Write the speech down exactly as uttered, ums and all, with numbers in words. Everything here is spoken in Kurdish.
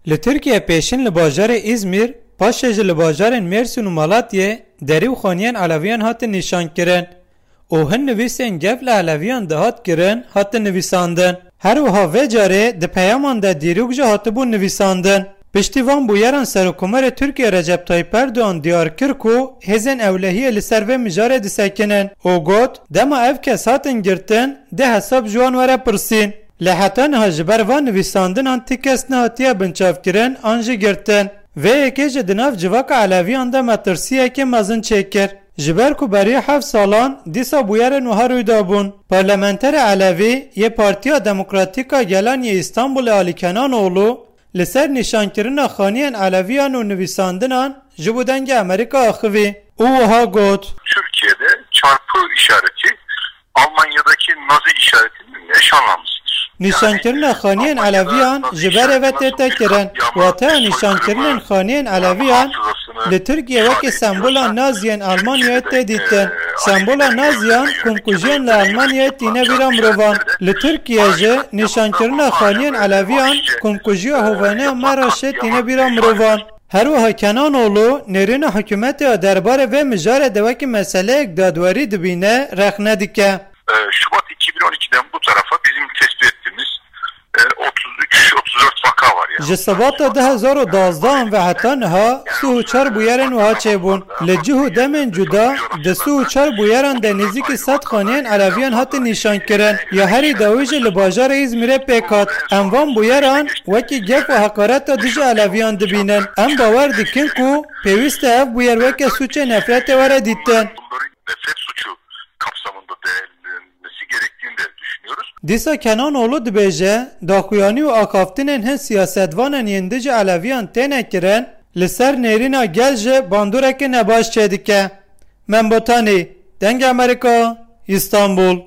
Li Tirkiye pêşin li bajarê Îzmîr, paşê jî li bajarên Mêrsîn û Malatiyê derî û xaniyên Eleviyan hatin nîşankirin û hin nivîsên gef li Eleviyan de hat kirin, hatin nivîsandin. Her wiha vê carê di peyaman de dîrok jî hatibûn nivîsandin. Piştî van bûyeran Serokkomarê Tirkiye Recep Tayyip Erdogan diyar kir ku hêzên ewlehiyê li ser vê mijarê disekinin û got, dema ev kes hatin girtin, dê hesab ji wan were pirsîn. Lê heta niha ji ber van nivîsandinan ti kes nehatiye binçavkirin an jî girtin. Vê yekê jî di nav civaka Eleviyan de metirsiyekê mezin çêkir. Ji ber ku beriya heft salan dîsa bûyerên wiha rû dabûn. Parlamenterê Elevî yê Partiya Demokratîk a Gelan yê Îstanbulê Alî Kenanoğlu li ser nîşankirina xaniyên Eleviyan û nivîsandinan ji bo Dengê Amerîka axivî û wiha got, Türkiye'de çarpı işareti Almanya'daki Nazi işaretinin eş anlamlısıdır. Nîşankirina xaniyên Eleviyan ji berê ve tête kirin. Wateya nîşankirinên xaniyên Eleviyan li Tirkiye wekî sembola Naziyên Almanyayê tê dîtin. Sembola Naziyan komkujiyên li Almanyayê tîne bîra mirovan. Li Tirkiye jî nîşankirina xaniyên Eleviyan komkujiya hoveneya Meraşê tîne bîra mirovan. Her wiha Kenanoğlu nêrîna hikûmetê ya derbarê vê mijarê de wekî meseleyek dadwerî dibîne, rexne dike. Ee, Şubat iki bin on ikiden bu tarafa bizim tespit ettiğimiz e, otuz üç otuz dört vaka var yani. Ji Sibata du hezar û dazdehan ve heta niha sih û çar bûyerên wiha çêbûn. Li cih û demên cuda di sih û çar bûyeran de nêzîkî sed xaniyên Eleviyan hatin nîşankirin. Ya herî dawî jî li bajarê Îzmîrê pêk hat. Em van bûyeran wekî gef û heqareta dijî Eleviyan dibînin. Em bawer dikin ku pêwîst e ev bûyer weke sûcê nefretê were dîtin. Bunların nefret suçu kapsamında değerlendirilmesi gerektiğini de düşünüyoruz. Dîsa Kenanoğlu dibêje, daxuyanî û axaftinên hin siyasetvanên yên dijî Eleviyan têne kirin, li ser nêrîna gel jî bandoreke nebaş çêdike. Mem Botanî, Dengê Amerîka, Îstanbul.